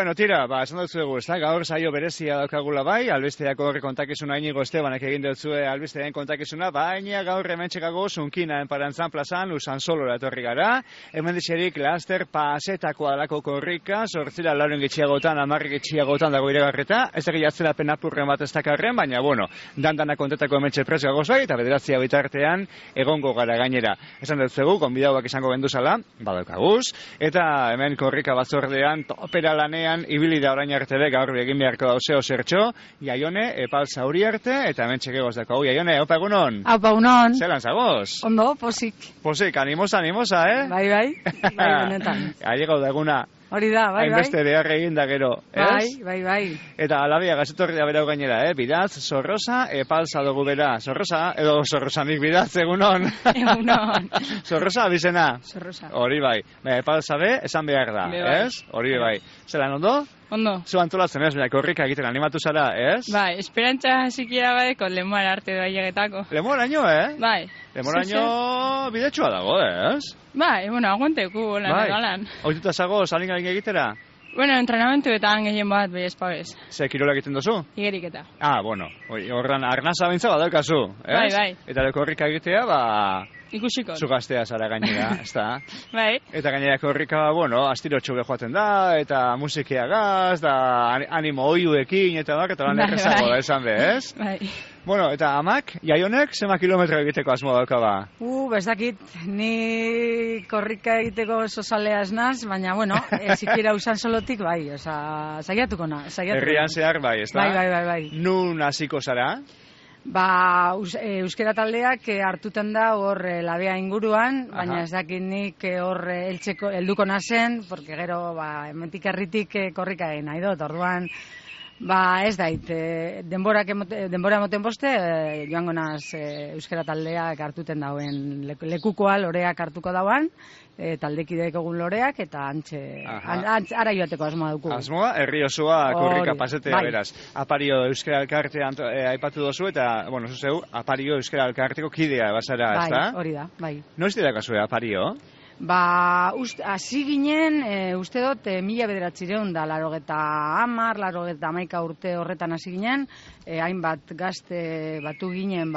Bueno, tira, esan dut zuegu, gaur saio berezia daukagula bai, albesteako horre kontakizuna Inigo Estebanak egin dutzue albestearen kontakizuna, baina gaur hemen txekago Zunkinan Parantzan plazan, Usan Solora etorri gara, hemen dixerik laster pasetako alako korrika, sortzila lauren getxiagotan, amarri getxiagotan dago iragarreta, ez egi atzera penapurren bat ez dakarren, baina bueno, dandana kontetako hemen txepres gagoz eta bederatzia bitartean egongo gara gainera. Esan dut zuegu, konbidauak izango genduzala, badaukaguz, eta hemen korrika batzordean, topera lanean, ibili da orain arte de gaur egin beharko dauzeo zertxo, Jaione, epal zauri arte, eta hemen txekegoz dako. Jaione, opa egunon? Aupa egunon. Zelan zagoz? Ondo, posik. Posik, animosa, Bai, benetan. Aiego da eguna. Hori da, bai. Hainbeste behar egin da gero, ez? Bai. Eta alabia gazetorri da berau gainera, Bidaz, Zorrosa, epalza dugu bera. Zorrosa, edo Zorrosanik bidaz, egunon. Egunon. Zorrosa, abizena? Zorrosa. Hori bai. Epalza be, esan behar da, ez? Hori bai. Zelan ondo? Ondo. Zu antolatzen ez, korrika egiten animatu zara, ez? Bai, esperantza sikiera baiko lemoara arte da llegetako. Lemoraino, Bai. Lemoraino bidetxua dago, ez? Bai, bueno, aguanteku, lan egalan. Oituta zago, salin egitera? Bueno, entrenamentuetan gehien bat, bai espabez. Ze kirola egiten duzu? Igeriketa. Bueno, horran arnaza bintza badaukazu, ez? Bai. Eta korrika egitea, ikusiko. Zu gaztea zara gainera, ez da? Bai. Eta gainera korrika, astirotxu joaten da, eta musikia gaz, da animo oiuekin, eta lan errezago da esan be, ez? Bai. Bueno, eta amak, Jaionek, zema kilometro egiteko asmo daukaba? Bezakit, ni korrika egiteko oso zalea ez naz, baina, zikira Usan Solotik, bai, saiatuko na. Herrian zehar, bai, ez da? Bai. Nun hasiko zara? Euskera taldeak hartuten da hor labea inguruan, baina ez dakit nik hor helduko nazen, porque gero, hementik herritik korrika egin nahi dut, orduan, ez dait, denbora emoten boste, joango naz euskera taldeak hartuten dauen lekukoa, loreak hartuko dauan, taldekideek egun loreak, eta ara joateko asmoa dugu. Asmoa, herri osoa korrika pasetea beraz. Apario euskera elkartea aipatu dozu, eta, zuzeu, Apario euskera elkarteko kidea basara, ez da? Bai, hori da, bai. Noiz dira kasue, Apario? Hasi ginen, uste dut, 1980 urte horretan hasi ginen, hainbat gazte batu ginen,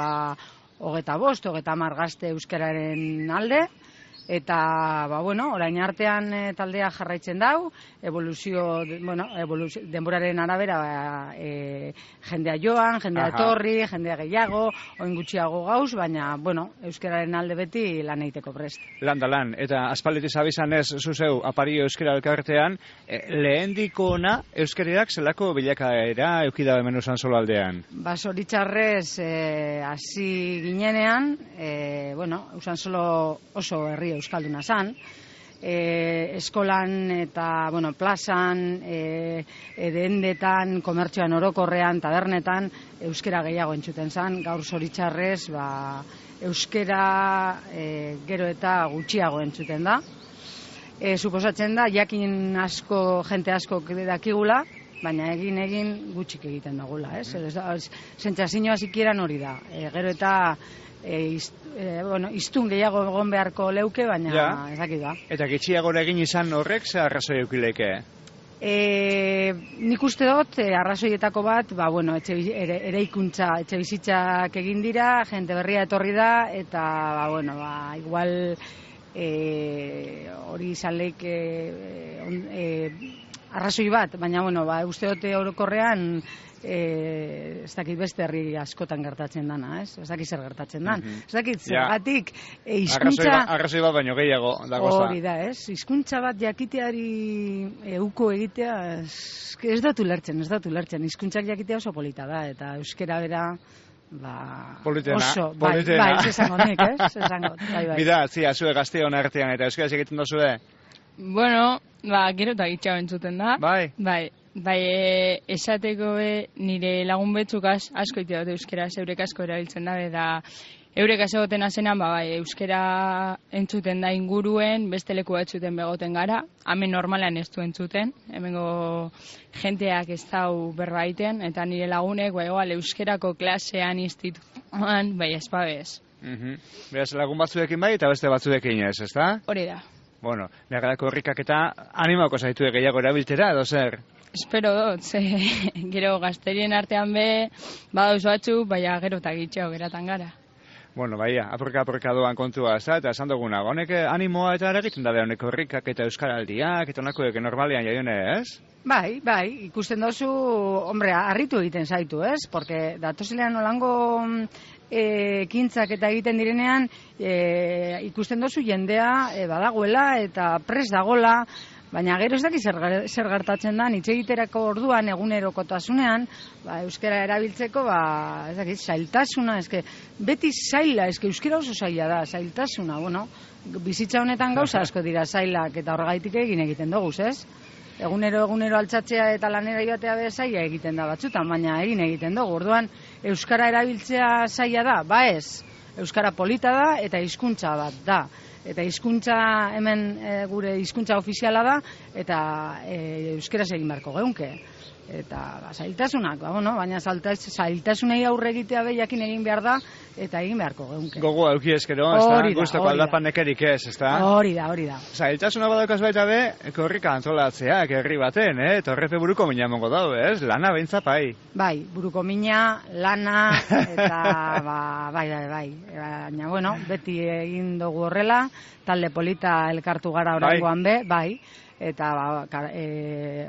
25, 30 gazte euskararen alde, eta, orain artean taldea jarraitzen dau, denboraren arabera jendea joan, jendea etorri, jendea gehiago, oin gutxiago gauz, baina, euskararen alde beti lan egiteko prest. Lan, eta aspalditik zabizan ez, zuzeu, Apario euskara elkartean, lehendiko ona euskariak zelako bilakaera eukida hemen Usan Solo aldean? Zoritxarrez, hasi ginenean, Usan Solo oso herri euskalduna zan, eskolan eta plazan, dendetan, komertzioan orokorrean, tabernetan, euskera gehiago entzuten zan, gaur zoritxarrez, euskera gero eta gutxiago entzuten da. Suposatzen da, jakin asko, jente asko dakigula, baina egin gutxik egiten dagula, ez? Sentsazioa zikieran hori da, gero eta iztun gehiago egon beharko leuke, baina ezakit da. Eta gitxiagora egin izan horrek, ze arrazoi eukileke? Nik uste dut, arrazoietako bat, eraikuntza, etxe bizitzak egin dira, jente berria etorri da, eta, igual hori izan leik arrazoi bat, baina, uste dut orokorrean, ez dakit beste herri askotan gertatzen dana, ez? Ez dakit zer gertatzen dan. Ez dakit zergatik hizkuntza... Arrazoi bat baino gehiago dagoza. Hori da, ez? Hizkuntza bat jakiteari euko egitea, ez dut ulertzen. Hizkuntzak jakitea oso polita da, eta euskera bera... oso, bai, esango nik, ez? Bai. Bida, zue gazteon artean, eta euskaraz egiten dozue? Gero eta gitxago entzuten da. Bai, esateko nire lagun betzuk asko ite dut euskera, eurek asko erabiltzen da, eta eurek asegoten azenan, euskera entzuten da inguruen, beste leku batzuten begoten gara, hemen normalan ez du entzuten, hemengo jenteak ez dau berbaiten, eta nire lagunek, euskerako klasean, institutuan, espabez. Beraz, lagun batzuekin bai, eta beste batzuekin ez da? Hori da. Bueno, nire korrikak eta animako zaitu gehiago erabiltera, edo zer? Espero dut, gero gazterien artean badauz batzu, baina gero eta gitxeo geratan gara. Bueno, baia, apurka doan kontua, eta esan duguna, honek animoa eta eragiten da honek korrikak eta euskaraldiak, eta honakoek normalean jaione, ez? Bai, ikusten dozu, hombre, harritu egiten zaitu, ez? Porque datozilean olango ekintzak eta egiten direnean, ikusten dozu jendea badagoela eta pres dagola, baina gero ez daki zer gertatzen da, hitz egiterako orduan, egunerokotasunean, euskara erabiltzeko, ez daki, zailtasuna, beti zaila, euskara oso zaila da, zailtasuna, bueno, bizitza honetan gauza asko dira zailak, eta horregaitik egiten dugu, ez? Egunero altxatzea eta lanera joatea zaila egiten da batzutan, baina egiten dugu, orduan, euskara erabiltzea zaila da, ez, euskara polita da, eta hizkuntza bat da. Eta hizkuntza hemen gure hizkuntza ofiziala da, eta euskeraz egin beharko geunke. Eta zailtasunak, baina zailtasunei aurre egitea jakin egin behar da, eta egin beharko geunke. Gogo auki eskero, ez da, guztoko aldapan nekerik ez, ez da? Hori da. Zailtasuna badaukaz baita korrika antolatzea, herri baten, eta horrepe buruko mina mongo dau, ez? Lana behintza pai. Bai, buruko mina, lana, eta bai. Baina, bueno, beti egin dugu horrela, talde polita elkartu gara oraingoan bai. Eta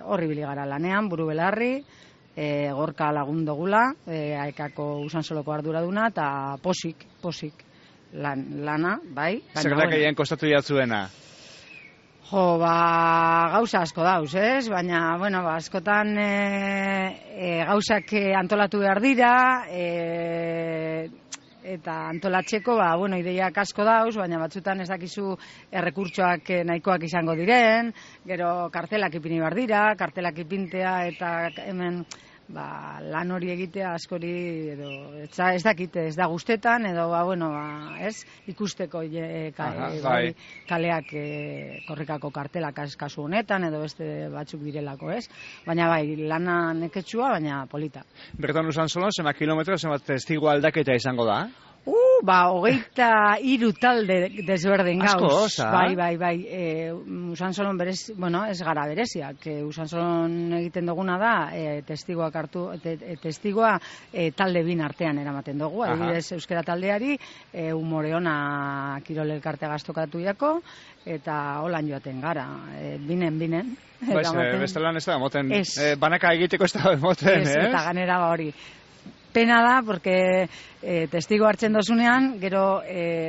horri bili gara lanean, buru belarri, gorka lagun dugula, aekako Usansoloko arduraduna, eta posik lana, bai. Zerrak egin kostatu jatzuena? Gauza asko dauz, ez? Baina, askotan gauzak antolatu behar dira, eta antolatzeko, ideiak asko dauz, baina batzutan ez dakizu errekurtsoak nahikoak izango diren, gero kartelak ipini behar dira, kartelak ipintea eta hemen lan hori egitea askori, ez dakit, ez da guztetan, edo, ez, ikusteko kaleak korrikako kartelak kasu honetan, edo beste batzuk direlako, ez? Baina lana neketsua, baina polita. Bertan Usansolon, zema kilometro, zema testigo aldaketa izango da? 23 talde desberdin gauz. Asko, Bai. Usansolon berez, ez gara bereziak. Usansolon egiten duguna da, testigoak hartu, testigoa talde bin artean eramaten dugu. Adibidez, euskara taldeari, Umoreona Kirol elkartea gaztokatu jako, eta holan joaten gara, binen. Bestelan ez da, moten, banaka egiteko ez da, moten, ez? Eta ganera hori. Pena da, porque testigo hartzen dozunean, gero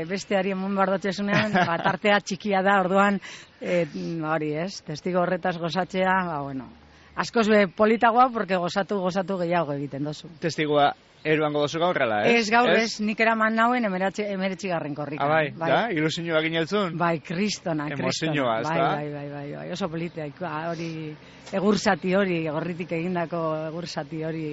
besteari emun bardotzezunean, tartea txikia da, orduan, hori ez, testigo horretaz gozatzea, askoz politagoa, porque gozatu gehiago egiten dozu. Testigoa eruango dozu gaurrela, ez? Ez gaur ez, nik eraman nauen 19. korrikan. Bai, da, ilusioa ginetzun? Bai, kristona. Emozioa, ez da? Bai, oso politia, hori, egursati hori, gorritik egindako egursati hori,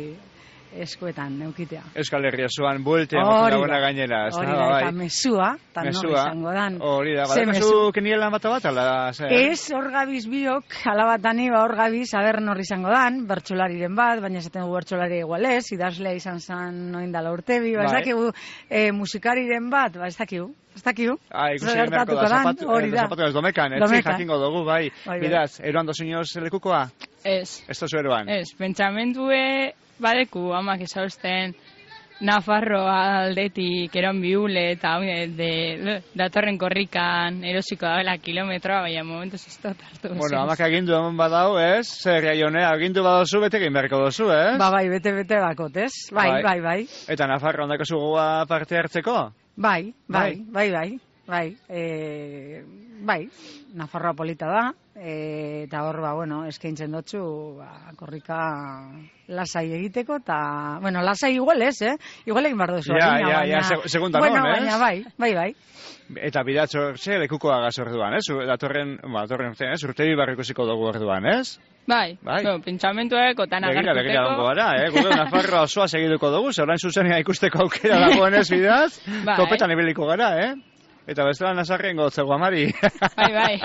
eskuetan neukitea. Euskal Herria zuan bueltea moten dagoena gainera. Hori da, eta mesua, eta nori izango dan. Hori da, badakazu kenielan bat, ala? Ez, hor gabiz biok, alabatani, hor gabiz, aber nori izango dan, bertsolariren bat, baina esaten dugu bertsolari igualez, idazlea izan zan noindala urtebi, ez dakigu musikariren bat, ez dakigu. Ikusi merko da, zapatu ez domekan, etzi jakingo dugu, bai. Bidaz, eroan dozunioz lekukoa? Ez. Ez dozu eroan? Ez, pentsamentue badeku, amak esausten Nafarro aldetik eron biule eta datorren korrikan erosiko dabela kilometroa, baina momentuz ez dut hartu. Bueno, amak agindu eman badau, ez? Zer jaione, agindu badozu, bete egin beharko dozu, ez? Bai, bete bakot, ez? Bai. Eta Nafarro ondako zugoa parte hartzeko? Bai. Nafarroa polita da, eta hor, eskaintzen dutzu, korrika lasai egiteko, eta, lasai igual ez, igual egin behar duzu. Ja, segunda non, ez? Baina, bai. Eta bidatzo, lekukoa gaz orduan, ez? Datorren, urtebi barrikusiko dugu orduan, ez? Bai. Pentsamentuek, otan agartuteko. Begira dongo gara, gure Nafarroa osoa segiduko dugu, ze orain zuzenia ikusteko aukera dagoen ez bidaz, topetan ibiliko gara, Eta bestela Nazarren gotzego amari. Bai.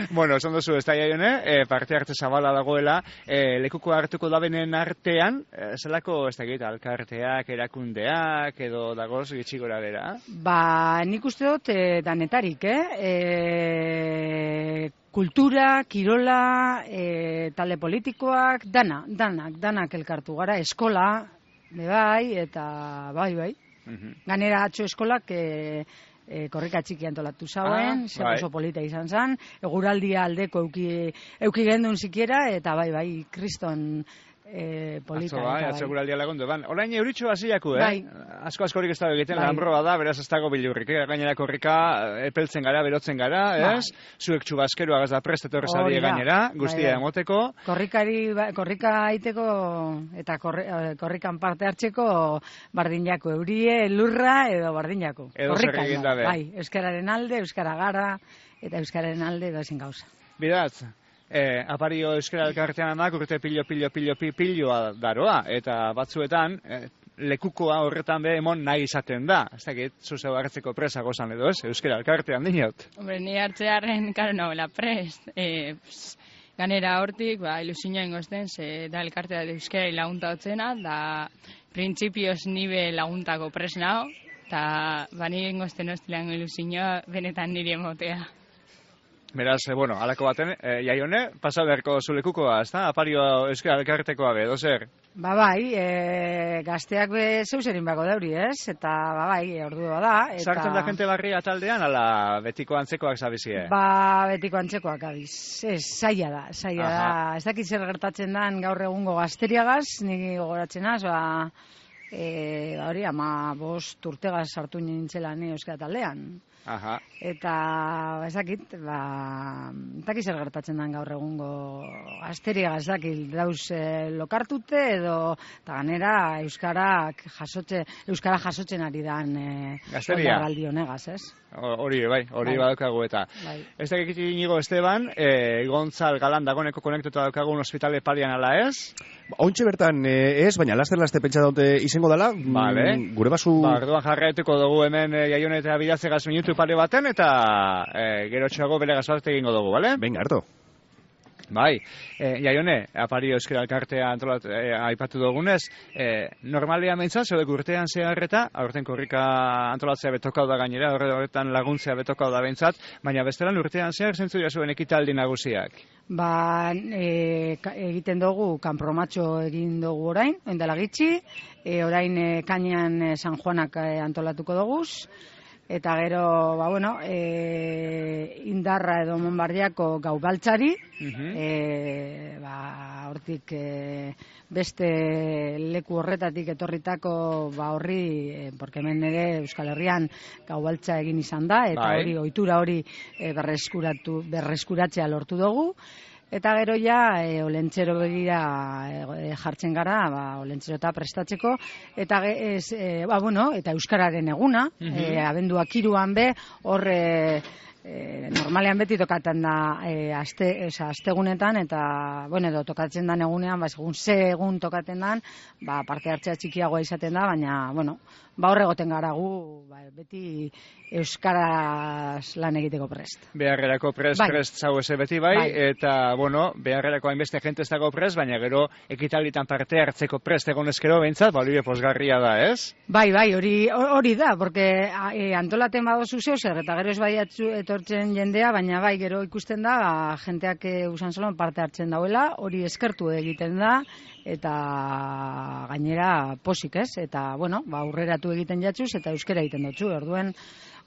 Bueno, esan duzu, ez da Jaione, parte hartze zabala dagoela, lekuko hartuko dabenen artean, zelako ez da gita, alkarteak, erakundeak, edo dagoz gitxigora bera? Ba, nik uste dut danetarik, kultura, kirola, talde politikoak, danak elkartu gara, eskola, bai, eta bai. Ganera atxo eskolak korrika txiki antolatu zauen, oso polita izan zen, eguraldia aldeko euki gendun zikiera, eta bai, kriston polita. Atzo eguraldia lagundu. Orain euritxo hasiaku, Asko-askorik ez dago egiten, lanbroa da, beraz ez dago bilurrik, gainera korrika epeltzen gara, berotzen gara, ez? Zuek txubaskero agaz da prest etorrez adie gainera, guztia emoteko. Korrika aiteko eta korrikan parte hartzeko bardinako eurie, lurra edo bardinako. Edo zer egin dabe. Bai, euskararen alde, euskara gara, eta euskararen alde edo ezin gauza. Bidaz, apario euskara elkartean amak urte piloa daroa, eta batzuetan lekukoa horretan be emon nahi izaten da. Ez dakit, zuzeu hartzeko presa gozan edo ez, euskara elkartean dinot. Hombre, ni hartzearen, karo nagoela prest. Ganera hortik, ilusioa ingozten, da elkartea de euskara lagunta hotzena, da printzipioz nibe laguntako prest nao, eta nire ingozten hostilean ilusioa benetan nire emotea. Beraz, alako baten, Jaione, pasa beharko zulekukoa, ez da? Apario euskara elkartekoa be, dozer? Bai, gazteak zeuzerin bako dauri, ez? Eta, bai, ordua da. Sartzen da jente barria taldean, ala betiko antzekoak zabizie? Betiko antzekoak abiz. Ez, zaila da. Ez dakit zer gertatzen den gaur egungo gazteriagaz, niri gogoratzen az, hori, 15 urtegaz sartu nintzela ni euskara taldean. Eta, ezakit, zer gertatzen den gaur egungo asteriaga, ezakit, dauz lokartute edo, eta ganera, euskara jasotzen ari dan aldi honegaz, ez? Hori badaukagu eta. Ez dakit inigo Esteban, Gontzal Galan dagoneko konektuta daukagun ospitale palian ala ez? Ontxe bertan ez, baina laster pentsa daute izango dela, gure basu... Orduan jarraituko dugu hemen Jaione eta Bidatzegaz minutu pare baten, eta gero txago bere gazarte egingo dugu, bale? Venga, harto. Bai, Jaione, apario euskara elkartea aipatu dugunez, normalia mentzat, zodek urtean zeharreta, aurten korrika antolatzea betokau da gainera, horretan laguntzea betokau da bentsat, baina bestelan urtean zehar zentzu jasuen ekitaldi nagusiak. Egiten dugu, kanpromatxo egin dugu orain, endela gitxi, orain kainean San Juanak antolatuko duguz, eta gero, Indarra edo Monbardiako gau baltzari, hortik beste leku horretatik etorritako horri, porque hemen ere Euskal Herrian gau baltza egin izan da, eta hori, ohitura hori berreskuratzea lortu dugu. Eta gero ja, olentzero begira jartzen gara, olentzero eta prestatzeko, eta eta euskararen eguna, abenduak 3an be, hor normalean beti tokatzen da astegunetan, eta, edo tokatzen dan egunean, segun ze egun tokatzen dan, parte hartzea txikiagoa izaten da, baina, hor egoten gara gu, beti euskaraz lan egiteko prest. Beharrerako prest zau eze beti bai, eta, beharrerako hainbeste jente ez dago prest, baina gero ekitalitan parte hartzeko prest egon ezkero behintzat, hori posgarria da, ez? Bai, hori da, porque antolaten badozu zeuzer, eta gero ez bai etortzen jendea, baina bai, gero ikusten da, jenteak usan solon parte hartzen dauela, hori eskertu egiten da, eta gainera posik, ez? Eta, aurreratu egiten jatzuz, eta euskera egiten dutzu, orduen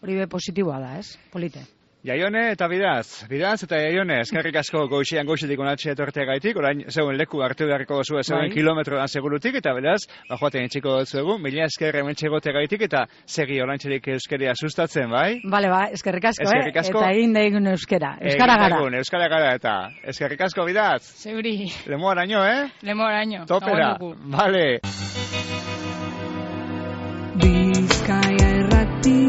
hori be positiboa da, ez? Polite. Jaione eta Bidaz eta Jaione, eskerrik asko goizetik onatxe etortea gaitik, orain zeuen leku hartu beharriko duzu zeuen kilometroan segurutik, eta beraz, joaten etxiko dutzuegu, mila esker hementxe egotea gaitik, eta segi orantxerik euskeria sustatzen, bai? Bale, eskerrik asko, eta egin da egun euskera. Euskara gara. Euskara gara, eta eskerrik asko Bidaz. Zeuri. Lemoaraino, Lemoaraino. Topera, bale. Bizkaia errati